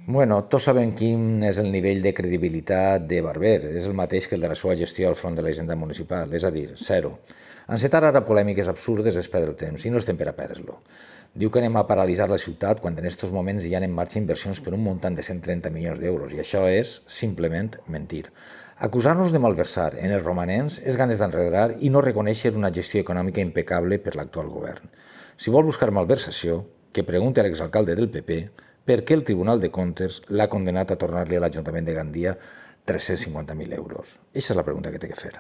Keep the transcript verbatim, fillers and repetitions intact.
Bueno, tots sabem quin és el nivell de credibilitat de Barber. És el mateix que el de la seva gestió al front de la hisenda municipal, és a dir, zero. Encetar ara polèmiques absurdes és perdre el temps, i no estem per a perdre-lo. Diu que anem a paralitzar la ciutat quan en aquests moments hi ha en marxa inversions per un muntant de cent trenta milions d'euros, i això és, simplement, mentir. Acusar-nos de malversar en els romanents és ganes d'enredar i no reconèixer una gestió econòmica impecable per l'actual govern. Si vol buscar malversació, que pregunti a l'exalcalde del P P per què el Tribunal de Comptes l'ha condenat a tornar-li a l'Ajuntament de Gandia tres-cents cinquanta mil euros. Aquesta és la pregunta que té que fer.